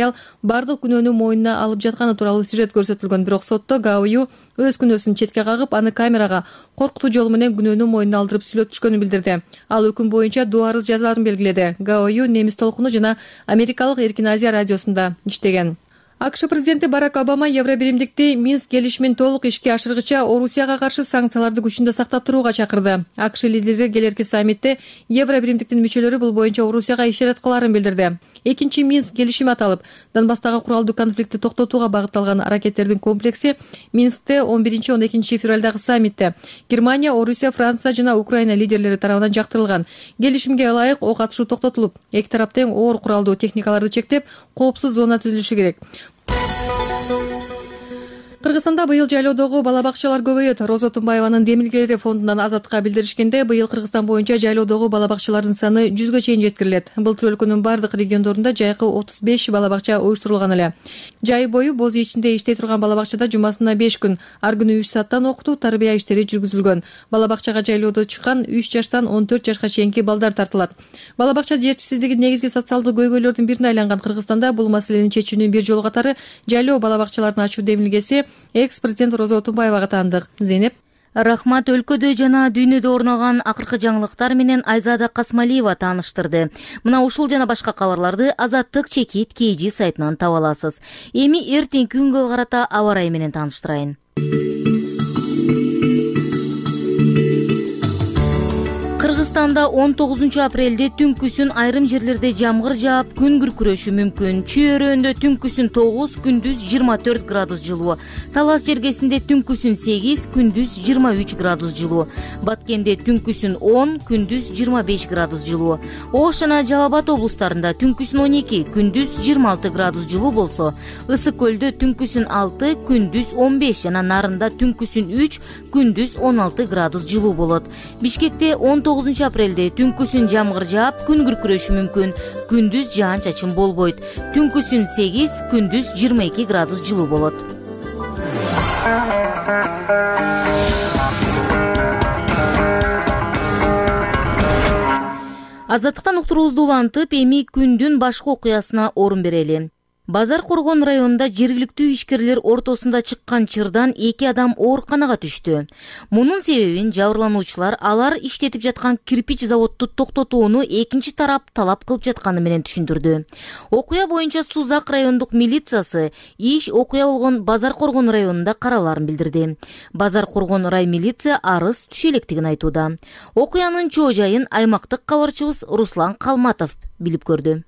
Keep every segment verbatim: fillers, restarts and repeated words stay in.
аял бардык күнөөнү мойнуна алып жатканы тууралуу сюжет көрсөтүлгөн. Бирок сотто Гаою өз күнөөсүн четке кагып, аны камерага коркутуу жолу менен күнөөнү мойнуна алдырып сүйлөп түшкөнүн билдирди. Ал өкүм боюнча доо арыз жазаарын белгиледи. Гаою немис толкуну жана Америкалык Эркин Азия радиосунда иштеген. АКШ президенти Барак Обама Евробиримдикти Минск келишимин толук ишке ашыргыча Орусияга каршы санкцияларды күчүндө сактап турууга чакырды. АКШ лидери келерки саммитте Евробиримдиктин мүчөлөрү бул боюнча Орусияга ишарат кылаарын билдирди. Экинчи Минск келишими аталып, Донбасстагы куралдуу конфликтти токтотууга багытталган аракеттердин комплекси Минскте он биринчи он экинчи февралдагы саммитте Германия, Орусия, Франция жана Украина лидерлери тарабынан жактырылган. Келишимге ылайык ок атышуу токтотулуп, эки тарап тең оор куралдуу техникаларды чектеп, коопсуз зона түзүлүшү керек. Кыргызстанда быйыл жайлоодогу бала бакчалар көбөйөт. Роза Тумбаеванын демилгелери фондунан Азаттыкка билдиришкенде, быйыл Кыргызстан боюнча жайлоодогу бала бакчалардын саны жүзгө чейин жеткирилет. Былтыр өлкөнүн бардык региондорунда жайкы отуз беш бала бакча уюштурулган эле. Жай бою боз ичинде иштей турган бала бакчада жумасына беш күн, ар күнү үч сааттан окутуу, тарбия иштери жүргүзүлгөн. Бала бакчага жайлоодо чыккан үч жаштан он төрт жашка чейинки балдар тартылат. Бала бакча жетишсиздиги негизги социалдык көйгөйлөрдүн бирине айланган Кыргызстанда бул маселени чечүүнүн бир жолу катары жайлоо бала бакчаларын ачуу демилгеси экс-президент Роза Тумбаевага таандык. Зейнеп. Рахмат. Өлкөдө жана дүйнөдө орногон акыркы жаңылыктар менен Айзада Касмалиева тааныштырды. Мына ушул жана башка кабарларды Азаттык чекит кей жи сайтынан таба аласыз. Эми эртеңки күнгө карата аба ырайы менен тааныштырайын. Кыргызстанда он тогузунчу апрелде түнкүсүн айрым жерлерде жамгыр жаап, күн күркүрөшү мүмкүн. Чүйөрөндө түнкүсүн тогуз, күндүз жыйырма төрт градус жылуу. Талас жергесинде түнкүсүн сегиз, күндүз жыйырма үч градус жылуу. Баткенде түнкүсүн он, күндүз жыйырма беш градус жылуу. Ош жана Жалал Абад облустарында түнкүсүн он эки, күндүз жыйырма алты градус жылуу болсо, Ысык көлдө түнкүсүн алты, күндүз он беш жана Нарында түнкүсүн үч, күндүз он алты градус жылуу болот. Бишкекте он тогузунчу апрелде түнкүсүн жамгыр жаап, күн күркүрөшү мүмкүн. Күндүз жаан-чачын болбойт. Түнкүсүн сегиз, күндүз жыйырма эки градус жылуу болот. Азаттыктан уктуруубузду улантып, эми күндүн башка окуясына орун берели. Базар Коргон районунда жергиликтүү ишкерлер ортосунда чыккан чырдан эки адам ооруканага түштү. Мунун себебин жабырлануучулар алар иштетип жаткан кирпич заводду токтотууну экинчи тарап талап кылып жатканы менен түшүндүрдү. Окуя боюнча Сузак райондук милициясы иш окуя болгон Базар Коргон районунда караларын билдирди. Базар Коргон рай милиция арыз түшө электигин айтууда. Окуянын чоо жайын аймактык кабарчыбыз Руслан Калматов билип көрдү.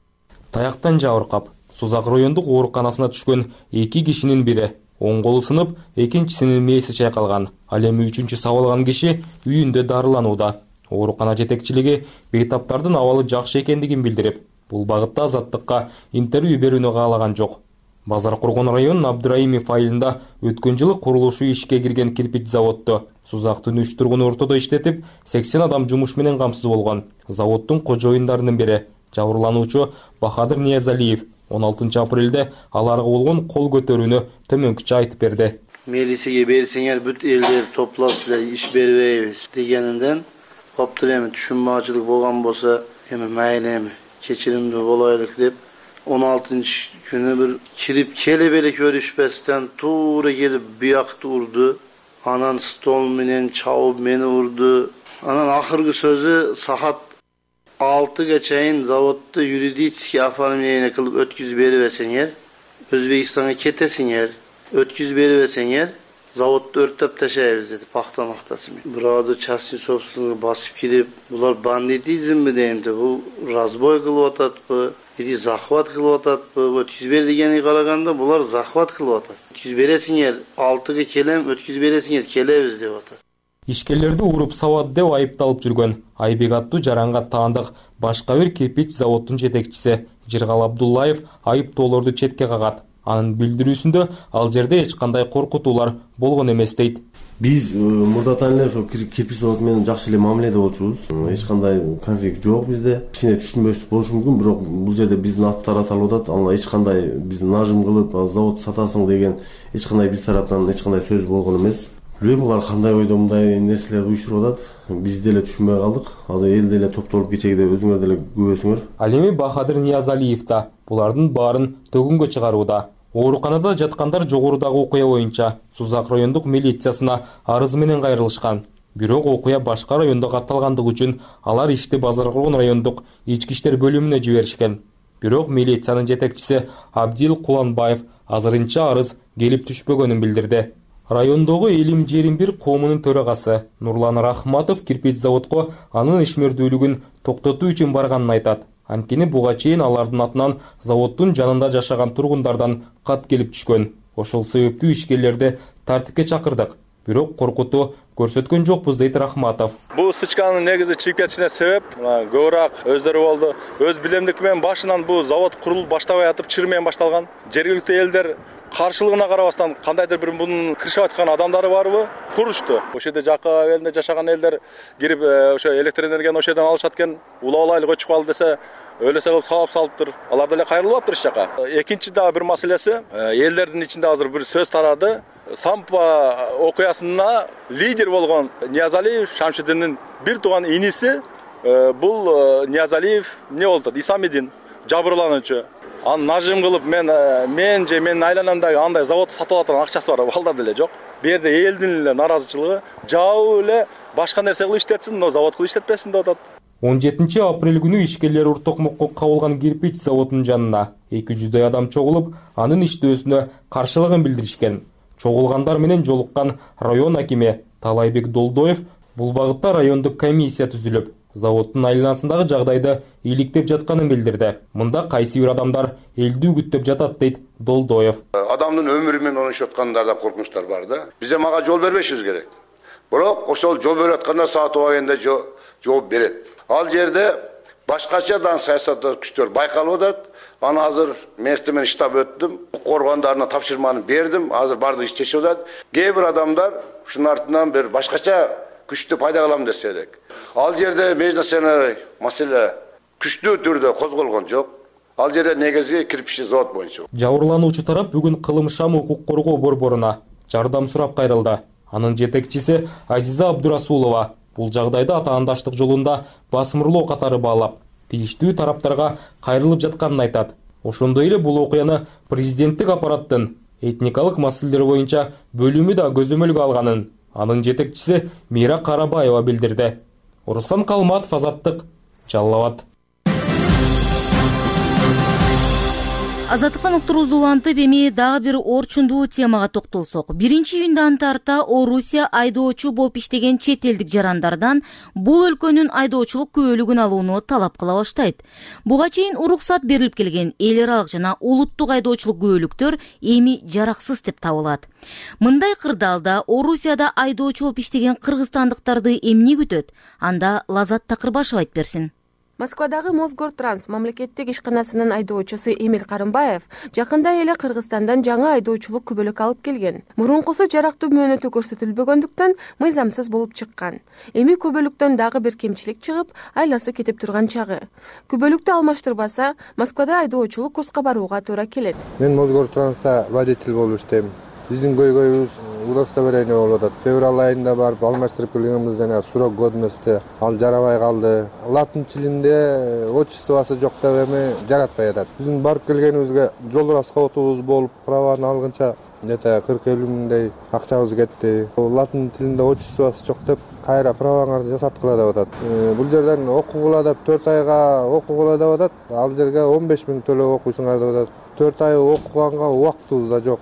Таяктан жабыркап Сузак райондук ооруканасына түшкөн эки кишинин бири оң колу сынып, экинчисинин мээси чайкалган. Ал эми үчүнчү сабалган киши үйүндө дарыланууда. Оорукана жетекчилиги бейтаптардын абалы жакшы экендигин билдирип, бул багытта Азаттыкка интервью берүүнү каалаган жок. Базар Коргон районунун Абдыраимов айылында өткөн жылы курулушу ишке кирген кирпич заводду Сузактын үч тургуну ортодо иштетип, сексен адам жумуш менен камсыз болгон. Заводдун кожоюндарынын бири жабырлануучу Бахадыр Ниязалиев он алтынчы апрелде аларга болгон кол көтөрүүнү төмөнкүчө айтып берди. Милицияга берсеңер бүт элдер топлоп силер иш бербейбиз дегенинден коптур эми түшүнбөчүлүк болгон болсо эми мейли эми кечиримдүү болойлук деп он алтынчы күнү бир кирип келе беле көрүшпестен туура келип буякты урду. Анан стол менен чабып мени урду. Анан акыркы сөзү саат алтыга чейин заводду юридический оформление кылып өткүзүп бербесеңер, Өзбекстанга кетесиңер, өткүзүп бербесеңер, заводду өрттөп ташайбыз деди пахта мактасы менен. Бирөөдө частный собственник басып кирип, булар бандитизмби деймди, бул разбой кылып ататпы, или захват кылып ататпы? Өткүзүп бер дегени караганда булар захват кылып атат. Өткүзүп бересиңер, алтыга келем, өткүзүп бересиңер, келебиз деп атат. Ишкерлерди уруп сабат деп айыпталып жүргөн Айбек аттуу жаранга таандык башка бир кирпич заводдун жетекчиси Жыргал Абдуллаев айыптоолорду четке кагат. Анын билдирүүсүндө ал жерде эч кандай коркутуулар болгон эмес дейт. Биз мурдатан эле ошо кирпич заводу менен жакшы эле мамиледе болчубуз. Эч кандай конфликт жок bizde. Кичине түшүнбөчүлүк болушу мүмкүн, бирок бул жерде биздин аттар аталып атат. Аны эч кандай биз нажым кылып завод сатасың деген эч кандай биз тараптан эч кандай сөз болгон эмес. Билбейм булар кандай ойдо мындай нерселерди уюштуруп атат. Биз деле түшүнбөй калдык. Азыр эл деле топтолуп кечеде өзүңөр деле көрөсүңөр. Ал эми Бахадыр Ниязалиев да булардын баарын төгүнгө чыгарууда. Ооруканада жаткандар жогорудагы окуя боюнча Сузак райондук милициясына арыз менен кайрылышкан. Бирок окуя башка райондо катталгандыгы үчүн алар ишти Базаркулгон райондук ички иштер бөлүмүнө жиберишкен. Бирок милициянын жетекчиси Абдил Куланбаев азырынча арыз келип түшпөгөнүн билдирди. Райондогу Элим Жерим бир коомунун төрагасы Нурлан Рахматов кирпич заводко анын ишмердүүлүгүн токтотуу үчүн барганын айтат. Анткени буга чейин алардын атынан заводдун жанында жашаган тургундардан кат келип түшкөн. Ошол себептүү ишкерлерди тартипке чакырдык. Бирок коркутуу көрсөткөн жокпуз, дейт Рахматов. Бул стычканын негизи чыгып кетишине себеп көбүрөөк өздөрү болду. Өз билемдики менен башынан бул завод курулуп баштабай атып чыр менен башталган. Жергиликтүү элдер каршылыгына карабастан кандайдыр бир мунун кыршап аткан адамдары барбы? Курушту. Ошол жерде жакка элинде жашаган элдер кирип ошо электр энергияны ошол жерден алышат экен. Улап алайлык өчүп калды десе, өлөсө кылып сабап салыптыр. Алар деле кайрылып атыптыр жака. Экинчи дагы бир маселеси, элдердин ичинде азыр бир сөз тарады. Сампа окуясына лидер болгон Ниязалиев Шамшидиндин бир тууган иниси бул Ниязалиев эмне болду? Исамидин жабырлануучу. Аны нажим кылып мен мен же менин айланамдагы андай заводду сатып алган акчасы бар балдар деле жок. Бу жерде элдин эле наразычылыгы жабы эле башка нерсе кылып иштетсин, но завод кылып иштетпесин деп атат. он жетинчи апрель күнү ишкерлер Уртокмокко кабылган кирпич заводунун жанына эки жүздөй адам чогулуп, анын иштөөсүнө каршылыгын билдиришкен. Чогулгандар менен жолуккан район акими Талайбек Долдоев бул багытта райондук комиссия түзүлүп, заводдун айланасындагы жагдайды иликтеп жатканын билдирди. Мында кайсы бир адамдар элди үгүттөп жатат, дейт Долдоев. Адамдын өмүрү менен ойношуп аткандарда коркунучтар бар да. Биз мага жол бербешибиз керек. Бирок ошол жол берип аткандар саат убагында жооп берет. Ал жерде башкачадан саясаттар күчтөр байкалып атат. Аны азыр мэрти менен штаб өттүм. Коргондарына тапшырманы бердим. Азыр бардыгы иштешип атат. Кээ бир адамдар ушунун артынан бир башкача күчтү пайда кылам десе элек. Ал жерде межнасионер маселе күчтүү түрдө козголгон жок. Ал жерде негизги кирпичный завод боюнча. Жабырлануучу тарап бүгүн Кылымшам укук коргоо борборуна жардам сурап кайрылды. Анын жетекчиси Азиза Абдурасулова бул жагдайды атаандаштык жолунда басымырлоо катары баалап, тийиштүү тараптарга кайрылып жатканын айтат. Ошондой эле бул окуяны президенттик аппараттын этникалык маселелер боюнча бөлүмү да көзөмөлгө алганын анын жетекчиси Мира Карабаева билдирди. Руслан Калматов, Азаттык, Жалал Абад. Азаттыктан уктуруусу улантып, эми дагы бир орчундуу темага токтолсок. Биринчи июндан тарта Орусия айдоочу болуп иштеген чет элдик жарандардан бул өлкөнүн айдоочулук күбөлүгүн алууну талап кыла баштайт. Буга чейин уруксат берилип келген эл аралык жана улуттук айдоочулук күбөлүктөр эми жараксыз деп табылат. Мындай кырдаалда Орусияда айдоочу болуп иштеген кыргызстандыктарды эмне күтөт? Анда Лазат Такырбашев айтып берсин. Москвадагы Мосгортранс мамлекеттик ишканасынын айдоочусу Эмил Карымбаев жакында эле Кыргызстандан жаңы айдоочулук күбөлүк алып келген. Мурункусу жарактуу мөөнөтү көрсөтүлбөгөндүктөн мыйзамсыз болуп чыккан. Эми күбөлүктөн дагы бир кемчилик чыгып, айласы кетип турган чагы. Күбөлүктү алмаштырбаса, Москвада айдоочулук курска барууга туура келет. Мен Мосгортранста водитель болуп иштейм. Биздин көйгөйүбүз удостоверение болуп атат. Февраль айында барып алмаштырып келгенбиз, жана срок годности ал жарабай калды. Латын тилинде отчествосы жок деп эми жаратпай атат. Биздин барып келгенибизге жол расходубуз болуп, праваны алгынча нече кырк элүү миңдей акчабыз кетти. Латын тилинде отчествосы жок деп кайра праваңарды жасаткыла деп атат. Бул жерден окугула деп төрт айга окугула деп атат. Ал жерге он беш миң төлөп окуйсуңар деп атат. төрт ай окуганга убактыбыз да жок.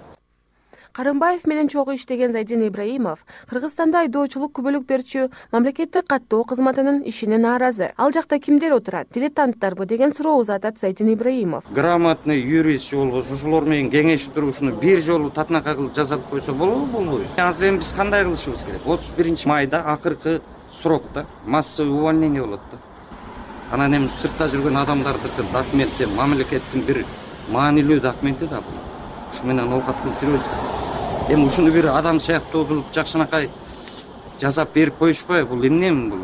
Карымбаев менен чогуу иштеген Зайдин Ибраимов Кыргызстанда айдоочулук күбөлүк берчү мамлекеттик каттоо кызматынын ишине нааразы. Ал жакта кимдер отурат? Дилетанттарбы деген суроо узатат Зайдин Ибраимов. Грамотный юрист болбосо ошолор менен кеңешип туруп ушуну бир жолу татынака кылып жасап койсо болобу, болбойбу? Азыр эми биз кандай кылышыбыз керек? отуз биринчи майда акыркы срокто массовый увольнение болот да. Анан эми сыртта жүргөн адамдардыкы документи мамлекеттин бир маанилүү документи да бул. Ушу менен оокат кылып жүрөбүз. Эми ушуну бир адам сыяктуу кылып жакшынакай жасап берип коюшпайбы? Бул эмне бул?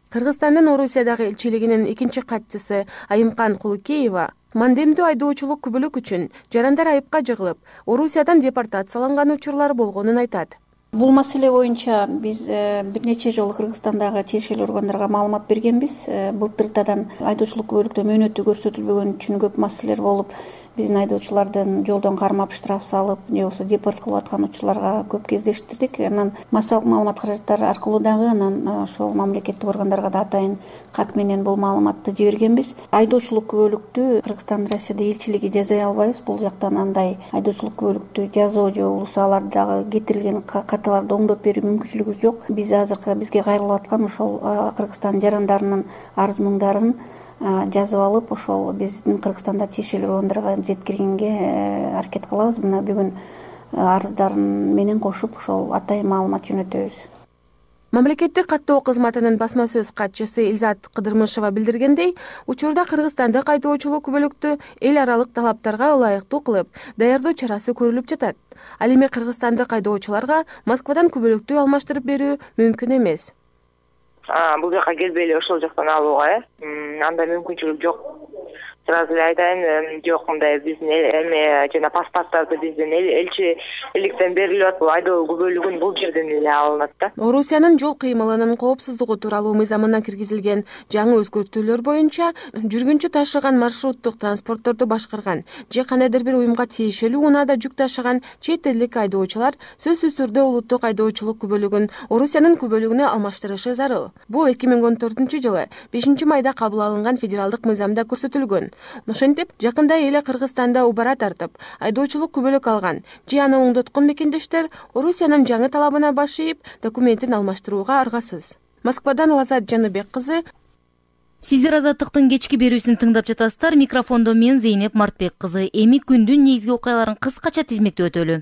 Кыргызстандын Орусиядагы элчилигинин экинчи катчысы Айымкан Кулукеева мандемдүү айдоочулук күбөлүк үчүн жарандар айыпка жыгылып, Орусиядан депортацияланган учурлар болгонун айтат. Бул маселе боюнча биз бир нече жолу Кыргызстандагы тиешелүү органдарга маалымат бергенбиз. Былтыртадан айдоочулук күбөлүктө мөөнөтү көрсөтүлбөгөн үчүн көп маселелер болуп, биздин айдоочулардын жолдон кармап штраф салып, же болбосо депорт кылып аткан учурларга көп кездештирдик. Анан массалык маалымат каражаттары аркылуу дагы анан ошол мамлекеттик органдарга да атайын кат менен бул маалыматты жибергенбиз. Айдоочулук күбөлүктү Кыргызстандын Россияда элчилиги жазай албайбыз. Бул жактан андай айдоочулук күбөлүктү жазуу же болбосо аларды дагы кетирилген каталарды оңдоп берүү мүмкүнчүлүгүбүз жок. Биз азыркы бизге кайрылып аткан ошол Кыргызстан жарандарынын арыз муңдарын жазып алып, ошол биздин Кыргызстанда тиешелүү органдарга жеткиргенге аракет кылабыз. Мына бүгүн арыздарын менен кошуп ошол атайын маалымат жөнөтөбүз. Мамлекеттик каттоо кызматынын басма сөз катчысы Илзат Кыдырмышева билдиргендей, учурда Кыргызстандык айдоочулук күбөлүктү эл аралык талаптарга ылайыктуу кылып даярдоо чарасы көрүлүп жатат. Ал эми кыргызстандык айдоочуларга Москвадан күбөлүктү алмаштырып берүү мүмкүн эмес. Бул жака келбей ошол жактан алууга андай мүмкүнчүлүк жок. Сразу эле айтайын, жок, мындай биздин эме жана паспорттарды биздин элчиликтен берилип атат. Айдоо күбөлүгүн бул жерден эле алынат да. Орусиянын жол кыймылынын коопсуздугу тууралуу мыйзамына киргизилген жаңы өзгөртүүлөр боюнча жүргүнчү ташыган маршруттук транспортторду башкарган же кандайдыр бир уюмга тиешелүү унаада жүк ташыган чет элдик айдоочулар сөзсүз түрдө улуттук айдоочулук күбөлүгүн Орусиянын күбөлүгүнө алмаштырышы зарыл. Бул эки миң он төртүнчү жылы бешинчи майда кабыл алынган федералдык мыйзамда көрсөтүлгөн. Ошентип, жакында эле Кыргызстанда убара тартып, айдоочулук күбөлүк алган же аны оңдоткон мекендештер Орусиянын жаңы талабына баш ийип, документин алмаштырууга аргасыз. Москвадан Лазат Жаныбек кызы. Сиздер Азаттыктын кечки берүүсүн тыңдап жатасыздар. Микрофондо мен Зейнеп Мартбек кызы. Эми күндүн негизги окуяларын кыскача тизмектеп өтөлү.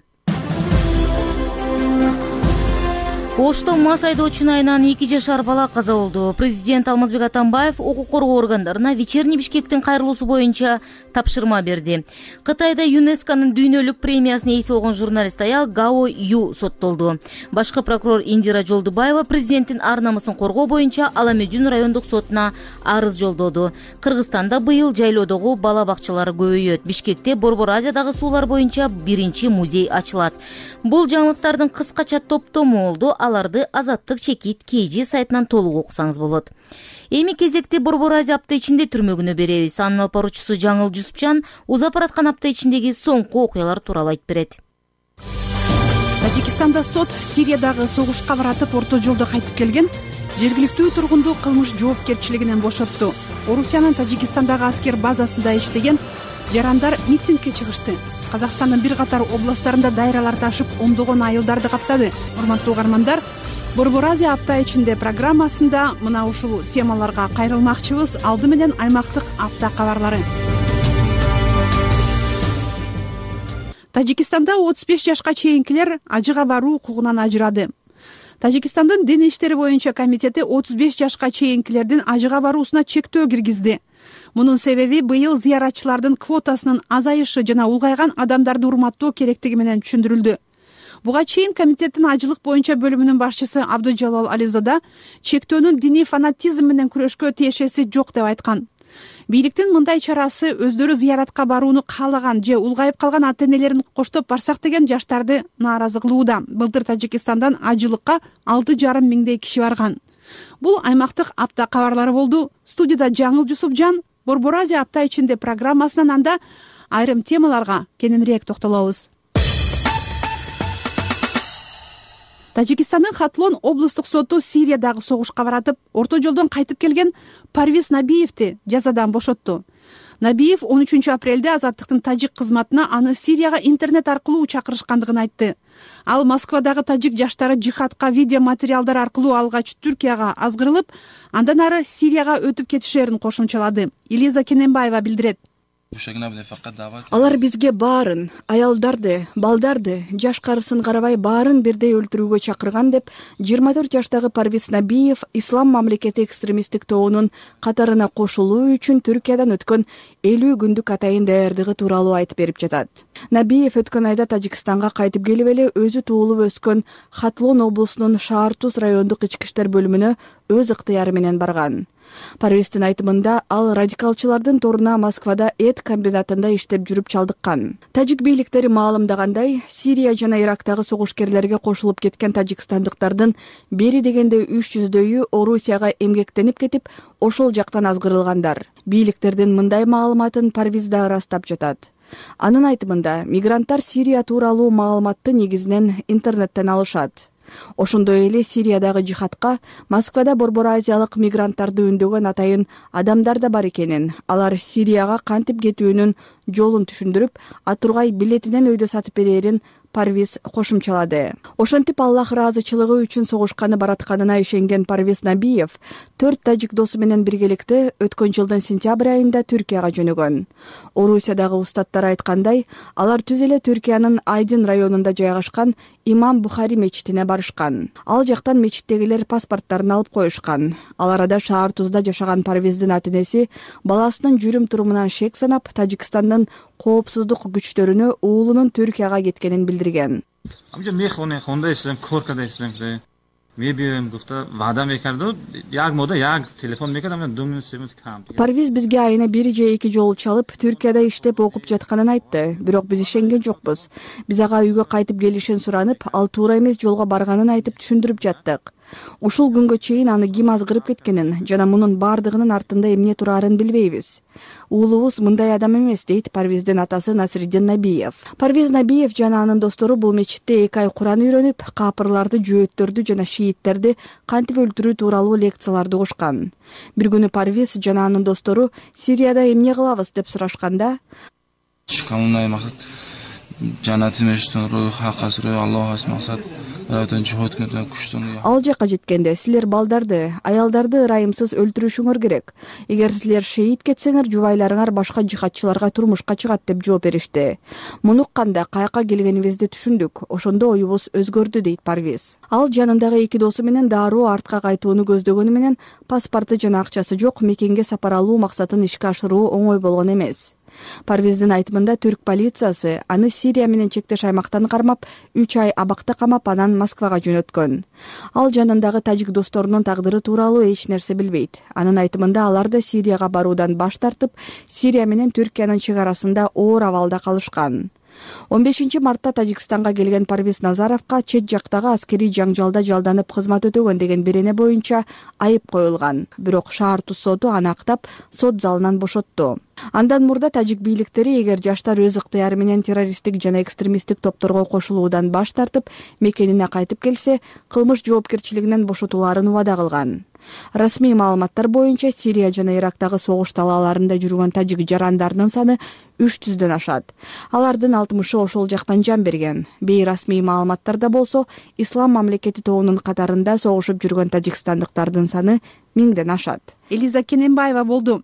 Ошто мас айдоочунун айынан эки жашар бала каза болду. Президент Алмазбек Атамбаев укук коргоо органдарына вечерний Бишкектин кайрылуусу боюнча тапшырма берди. Кытайда ЮНЕСКОнун дүйнөлүк премиясына ээси болгон журналист аял Гао Ю соттолду. Башкы прокурор Индира Жолдубаева президенттин ар намысын коргоо боюнча Аламедин райондук сотуна арыз жолдоду. Кыргызстанда быйыл жайлоодогу бала бакчалары көбөйөт. Бишкекте Борбор Азиядагы суулар боюнча биринчи музей ачылат. Бул жаңылыктардын кыскача топтому болду. Аларды Азаттык чекит кей жи сайтынан толук окусаңыз болот. Эми кезекте Борбор Азия апта ичинде түрмөгүнө беребиз. Анын алып баруучусу Жаңыл Жусупчан узап бараткан апта ичиндеги соңку окуялар тууралуу айтып берет. Тажикстанда сот Сириядагы согушка баратып орто жолдо кайтып келген жергиликтүү тургунду кылмыш жоопкерчилигинен бошотту. Орусиянын Тажикстандагы аскер базасында иштеген жарандар митингге чыгышты. Казакстандын бир катар областтарында дайралар ташып, ондогон айылдарды каптады. Урматтуу угармандар, Борбор Азия апта ичинде программасында мына ушул темаларга кайрылмакчыбыз. Алды менен аймактык апта кабарлары. Тажикстанда отуз беш жашка чейинкилер ажыга баруу укугунан ажырады. Тажикстандын дин иштери боюнча комитети отуз беш жашка чейинкилердин ажыга баруусуна чектөө киргизди. Мунун себеби быйыл зыяратчылардын квотасынын азайышы жана улгайган адамдарды урматтоо керектиги менен түшүндүрүлдү. Буга чейин комитеттин ажылык боюнча бөлүмүнүн башчысы Абдужалал Ализода чектөөнүн диний фанатизм менен күрөшкө тиешеси жок деп айткан. Бийликтин мындай чарасы өздөрү зыяратка барууну каалаган же улгайып калган ата-энелерин коштоп барсак деген жаштарды нааразы кылууда. Былтыр Тажикстандан ажылыкка алты жарым миңдей киши барган. Бул аймактык апта кабарлары болду. Студияда Жаңыл Жусупжан, Борбор Азия апта ичинде программасынан анда айрым темаларга кененирээк токтолобуз. Тажикстандын Хатлон облустук соту Сириядагы согушка баратып, орто жолдон кайтып келген Парвиз Набиевди жазадан бошотту. Набиев он үчүнчү апрелде Азаттыктын тажик кызматына аны Сирияга интернет аркылуу чакырышкандыгын айтты. Ал Москвадагы тажик жаштары жихадка видео материалдар аркылуу алгач Түркияга азгырылып, андан ары Сирияга өтүп кетишерин кошумчалады. Илиза Кененбаева билдирет. Алар бизге баарын, аялдарды, балдарды, жаш-карысын карабай баарын бирдей өлтүрүүгө чакырган деп жыйырма төрт жаштагы Парвиз Набиев Ислам мамлекети экстремисттик тобунун катарына кошулуу үчүн Түркиядан өткөн элүү күндүк атайын даярдыгы тууралуу айтып берип жатат. Набиев өткөн айда Тажикстанга кайтып келип эле өзү туулуп өскөн Хатлон облусунун Шаартуз райондук ички иштер бөлүмүнө өз ыктыяры менен барган. Парвиздин айтымында ал радикалчылардын торуна Москвада эт комбинатында иштеп жүрүп чалдыккан. Тажик бийликтери маалымдагандай, Сирия жана Ирактагы согушкерлерге кошулуп кеткен тажикстандыктардын бери дегенде үч жүздөйү Орусияга эмгектенип кетип, ошол жактан азгырылгандар. Бийликтердин мындай маалыматын Парвиз да ырастап жатат. Анын айтымында, мигранттар Сирия тууралуу маалыматты негизинен интернеттен алышат. Ошондой эле Сириядагы жихадка Москвада Борбор Азиялык мигранттарды үндөгөн атайын адамдар да бар экенин, алар Сирияга кантип кетүүнүн жолун түшүндүрүп, атургай билетинен өйдө сатып берерин Парвиз кошумчалады. Ошентип Аллах ыраазычылыгы үчүн согушканы баратканына ишенген Парвиз Набиев төрт тажик досу менен биргеликте өткөн жылдын сентябрь айында Түркияга жөнөгөн. Орусиядагы устаттар айткандай, алар түз эле Түркиянын Айдин районунда жайгашкан Имам Бухари мечитине барышкан. Ал жактан мечиттегилер паспорттарын алып коюшкан. Ал арада шаар Тузда жашаган Парвиздин ата-энеси баласынын жүрүм-турумунан шек санап, Тажикстандын коопсуздук күчтөрүнө уулунун Түркияга кеткенин билдирген. Парвиз бизге айына бир же эки жолу чалып, Түркияда иштеп окуп жатканын айтты. Бирок биз ишенген жокпуз. Биз ага үйгө кайтып келишин суранып, ал туура эмес жолго барганын айтып түшүндүрүп жаттык. Ушул күнгө чейин аны ким азгырып кеткенин жана мунун бардыгынын артында эмне турарын билбейбиз. Уулубуз мындай адам эмес, дейт Парвиздин атасы Насриддин Набиев. Парвиз Набиев жана анын достору бул мечитте эки ай Куран үйрөнүп, капырларды, жөөттөрдү жана шииттерди кантип өлтүрүү тууралуу лекцияларды угушкан. Бир күнү Парвиз жана анын достору Сирияда эмне кылабыз деп сурашканда, ал жака жеткенде силер балдарды, аялдарды ырайымсыз өлтүрүшүңөр керек. Эгер силер шейит кетсеңер, жубайларыңар башка жихадчыларга турмушка чыгат деп жооп беришти. Муну укканда каяка келгенибизди түшүндүк. Ошондо оюбуз өзгөрдү, дейт Парвиз. Ал жанындагы эки досу менен дароо артка кайтууну көздөгөнү менен паспорту жана акчасы жок мекенге сапар алуу максатын ишке ашыруу оңой болгон эмес. Парвиздин айтымында түрк полициясы аны Сирия менен чектеш аймактан кармап, үч ай абакта камап, анан Москвага жөнөткөн. Ал жанындагы тажик досторунун тагдыры тууралуу эч нерсе билбейт. Анын айтымында алар да Сирияга баруудан баш тартып, Сирия менен Түркиянын чек арасында оор абалда калышкан. он бешинчи мартта Тажикстанга келген Парвиз Назаровго чет жактагы аскерий жаңжалда жалданып кызмат өтөгөн деген берене боюнча айып коюлган. Бирок шаар Туз соту аны актап, сот залынан бошотту. Андан мурда тажик бийликтери эгер жаштар өз ыктыяры менен террористтик жана экстремисттик топторго кошулуудан баш тартып, мекенине кайтып келсе, кылмыш жоопкерчилигинен бошотулаарын убада кылган. Расмий маалыматтар боюнча Сирия жана Ирактагы согуш талааларында жүргөн тажик жарандарынын саны үч жүздөн ашат. Алардын алтымышы ошол жактан жан берген. Бейрасмий маалыматтарда болсо, Ислам мамлекети тобунун катарында согушуп жүргөн тажикстандыктардын саны миңден ашат. Элиза Кененбаева болду.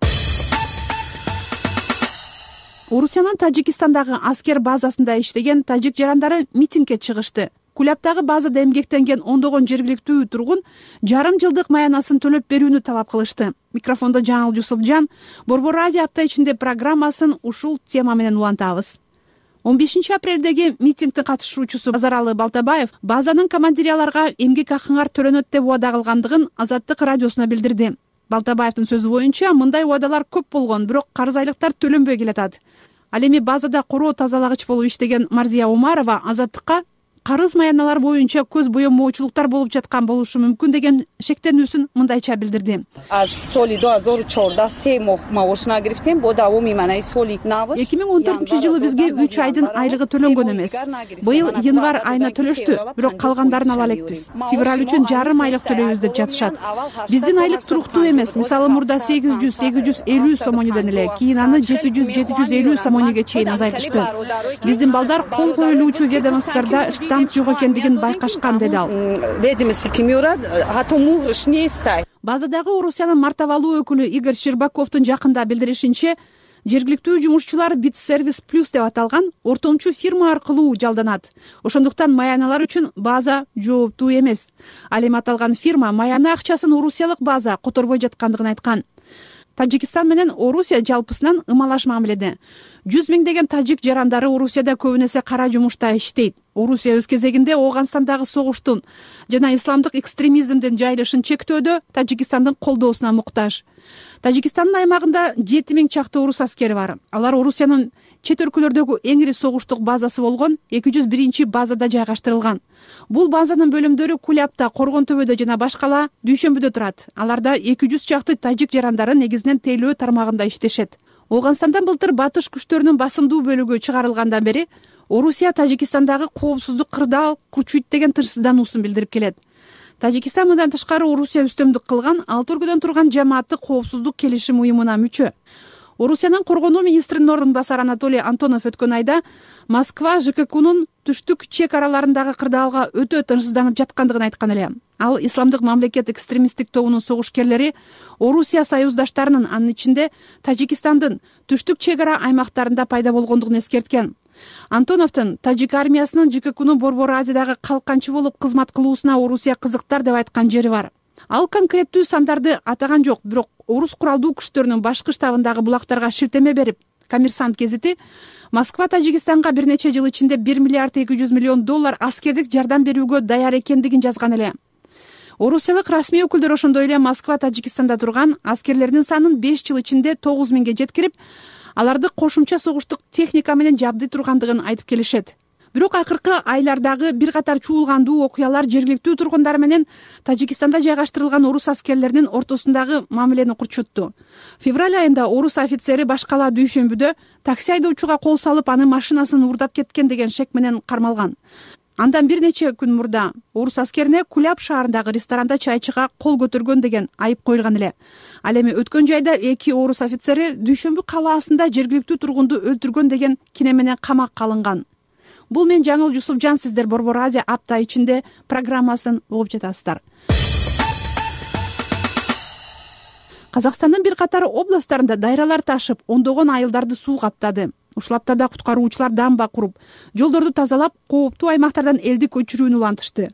Орусиянын Тажикстандагы аскер базасында иштеген тажик жарандары митингге чыгышты. Кулябтагы базада эмгектенген ондогон жергиликтүү тургун жарым жылдык маянасын төлөп берүүнү талап кылышты. Микрофондо Жаңыл Жусупжан, Борбор Радио апта ичинде программасын ушул тема менен улантабыз. он бешинчи апрелдеги митингдин катышуучусу Базаралы Балтабаев базанын командири аларга эмгек акыңар төлөнөт деп убада кылгандыгын Азаттык радиосуна билдирди. Балтабаевдин сөзү боюнча, мындай убадалар көп болгон, бирок карыз айлыктар төлөнбөй келатат. Ал эми базада короо тазалагыч болуп иштеген Марзия Умарова Азаттыкка карыз маяналар боюнча көз боемоочулуктар болуп жаткан болушу мүмкүн деген шектенүүсүн мындайча билдирди. эки миң он төртүнчү жылы бизге үч айдын айлыгы төлөнгөн эмес. Быйыл январь айына төлөштү, бирок калгандарын ала элекпиз. Февраль үчүн жарым айлык төлөйбүз деп жатышат. Биздин айлык туруктуу эмес. Мисалы, мурда сегиз жүз сегиз жүз элүү сомонеден эле, кийин аны жети жүз жети жүз элүү сомонеге чейин азайтышты. Биздин балдар кол коюлуучу ведомстволордо штамп жок экендигин байкашкан, деди ал. Базадагы Орусиянын мартабалуу өкүлү Игорь Щербаковдун жакында билдиришинче, жергиликтүү жумушчулар Битсервис плюс деп аталган ортомчу фирма аркылуу жалданат. Ошондуктан маяналар үчүн база жооптуу эмес. Ал эми аталган фирма маяна акчасын орусиялык база которбой жаткандыгын айткан. Тажикстан менен Орусия жалпысынан ымалаш мамиледе. Жүз миңдеген тажик жарандары Орусияда көбүнесе кара жумушта иштейт. Орусия өз кезегинде Ооганстандагы согуштун жана исламдык экстремизмдин жайылышын чектөөдө Тажикстандын колдоосуна муктаж. Тажикстандын аймагында жети миң чакты орус аскери бар. Алар Орусиянын чет өлкөлөрдөгү эң ири согуштук базасы болгон эки жүз биринчи базада жайгаштырылган. Бул базанын бөлүмдөрү Кулябта, Коргон төбөдө жана башкала Дүйшөмбүдө турат. Аларда эки жүз чакты тажик жарандары негизинен тейлөө тармагында иштешет. Ооганстандан былтыр батыш күчтөрүнүн басымдуу бөлүгү чыгарылгандан бери Орусия Тажикстандагы коопсуздук кырдаал курчуйт деген тынчсыздануусун билдирип келет. Тажикстан мындан тышкары Орусия үстөмдүк кылган алты өлкөдөн турган жамааттык коопсуздук келишим уюмуна мүчө. Орусиянын коргонуу министринин орун басары Анатолий Антонов өткөн айда Москва ЖККнун түштүк чек араларындагы кырдаалга өтө тынчсызданып жаткандыгын айткан эле. Ал исламдык мамлекет экстремисттик тобунун согушкерлери Орусия союздаштарынын, анын ичинде Тажикстандын түштүк чек ара аймактарында пайда болгондугун эскерткен. Антоновдун тажик армиясынын ЖККнун Борбор Азиядагы калканчы болуп кызмат кылуусуна Орусия кызыктар деп айткан жери бар. Ал конкреттүү сандарды атаган жок, бирок орус куралдуу күчтөрүнүн башкы штабындагы булактарга шилтеме берип, Коммерсант гезити Москва Тажикстанга бир нече жыл ичинде бир миллиард эки жүз миллион доллар аскердик жардам берүүгө даяр экендигин жазган эле. Орусиялык расмий өкүлдөр ошондой эле Москва Тажикстанда турган аскерлердин санын беш жыл ичинде тогуз миңге жеткирип, аларды кошумча согуштук техника менен жабдый тургандыгын айтып келишет. Бирок акыркы айлардагы бир катар чуулгандуу окуялар жергиликтүү тургундар менен Тажикстанда жайгаштырылган орус аскерлеринин ортосундагы мамилени курчутту. Февраль айында орус офицери башкала Дүйшөмбүдө такси айдоочуга кол салып, аны машинасын уурдап кеткен деген шек менен кармалган. Андан бир нече күн мурда орус аскерине Куляб шаарындагы ресторанда чайчыга кол көтөргөн деген айып коюлган эле. Ал эми өткөн жайда эки орус офицери Дүйшөмбү калаасында жергиликтүү тургунду өлтүргөн деген кине менен камакка алынган. Бул мен Жаңыл Жусупжан, сиздер Борбор Азия апта ичинде программасын угуп жатасыздар. Казакстандын бир катар областтарында дайралар ташып, ондогон айылдарды суу каптады. Ушул аптада куткаруучулар дамба куруп, жолдорду тазалап, кооптуу аймактардан элди көчүрүүнү улантышты.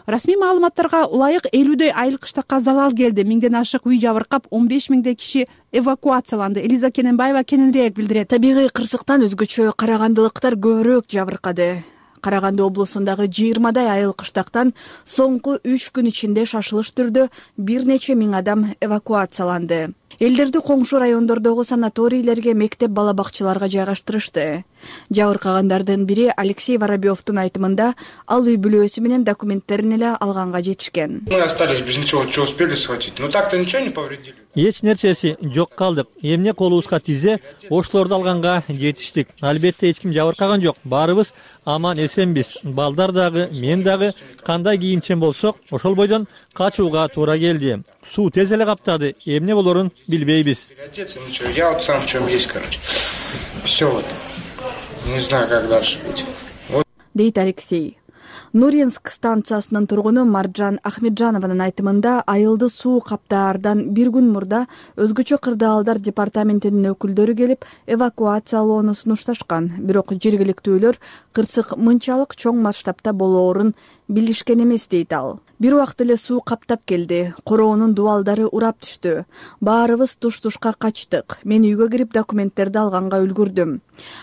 Расмий маалыматтарга ылайык элүүдөй айыл кыштакка залал келди. Миңден ашык үй жабыркап, он беш миңдей киши эвакуацияланды. Элиза Кененбаева кененирээк билдирет. Табигый кырсыктан өзгөчө карагандылыктар көбүрөөк жабыркады. Караганды облусундагы жыйырмадай айыл кыштактан соңку үч күн ичинде шашылыш түрдө бир нече миң адам эвакуацияланды. Элдерди коңшу райондордогу санаторийлерге, мектеп бала бакчаларга жайгаштырышты. Жабыркагандардын бири Алексей Воробьевдун айтымында, ал үй бүлөөсү менен документтерин эле алганга жетишкен. Мы остались без ничего, что успели схватить. Но так-то ничего не повредили. Эч нерсеси жок калдык. Эмне колубузга тизе, ошлорду алганга жетиштик. Албетте эч ким жабыркаган жок. Баарыбыз аман эсенбиз. Балдар дагы, мен дагы кандай кийимчен болсок, ошол бойдон качууга туура келди. Суу тез эле каптады. Эмне болорун билбейбиз. Я вот сам в чем есть, короче. Все вот. Не знаю, как дальше быть. Дейт Алексей. Нуринск станциясынын тургуну Маржан Ахмеджанованын айтымында, айылды суу каптаардан бир күн мурда өзгөчө кырдаалдар департаментинин өкүлдөрү келип эвакуациялоону сунушташкан. Бирок жергиликтүүлөр кырсык мынчалык чоң масштабта болоорун билишкен эмес, дейт ал. Бир убакыт эле суу каптап келди. Короонун дубалдары урап түштү. Баарыбыз туш-тушка качтык. Мен үйгө кирип документтерди алганга үлгүрдүм.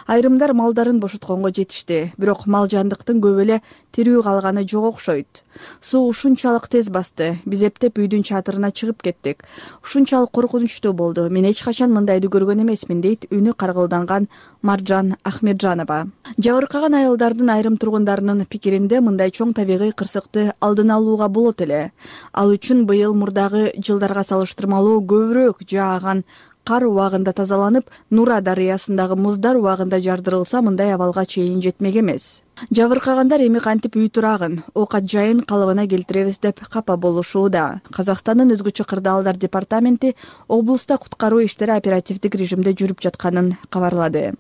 Айрымдар малдарын бошотконго жетишти. Бирок мал жандыктын көп эле тирүү калганы жок окшойт. Суу ушунчалык тез басты. Биз эптеп үйдүн чатырына чыгып кеттик. Ушунчалык коркунучтуу болду. Мен эч качан мындайды көргөн эмесмин, дейт үнү каргылданган Маржан Ахмеджанова. Жабыркаган айылдардын айрым тургундарынын пикиринде, мындай чоң табигый кырсыкты алдын алууга болот эле. Ал үчүн быйыл мурдагы жылдарга салыштырмалуу көбүрөөк жааган кар убагында тазаланып, Нура дарыясындагы муздар убагында жардырылса, мындай абалга чейин жетмек эмес. Жабыркагандар эми кантип үй турагын, оокат жайын калыбына келтиребиз деп капа болушууда. Казакстандын өзгөчө кырдаалдар департаменти облуста куткаруу иштери оперативдик режимде жүрүп жатканын кабарлады.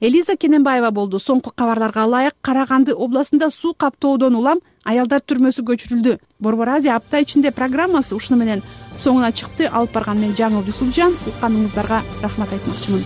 Элиза Кененбаева болду. Соңку кабарларга ылайык, Караганды областында суу каптоодон улам аялдар түрмөсү көчүрүлдү. Борбор Азия апта ичинде программасы ушуну менен соңуна чыкты. Алып барган мен Жаңыл Жусупжан. Укканыңыздарга рахмат айтмакчымын.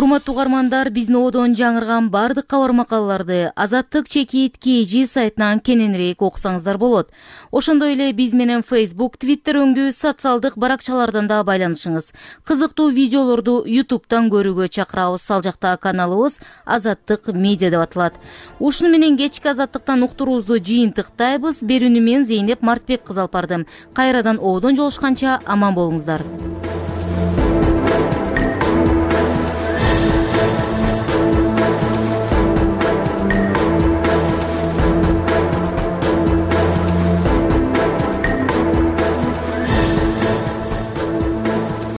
урматтуу угармандар, биздин одон жаңырган баардык кабар макалаларды Азаттык чекит kg сайтынан кененирээк окусаңыздар болот. Ошондой эле биз менен Facebook, Twitter өңдүү социалдык баракчалардан да байланышыңыз. Кызыктуу видеолорду YouTube'дан көрүүгө чакырабыз. Ал жакта каналыбыз Азаттык медиа деп аталат. Ушуну менен кечки Азаттыктан уктуруубузду жыйынтыктайбыз. Берүүнү мен Зейнеп Мартбек кызы алып бардым. Кайрадан одон жолушканча аман болуңуздар.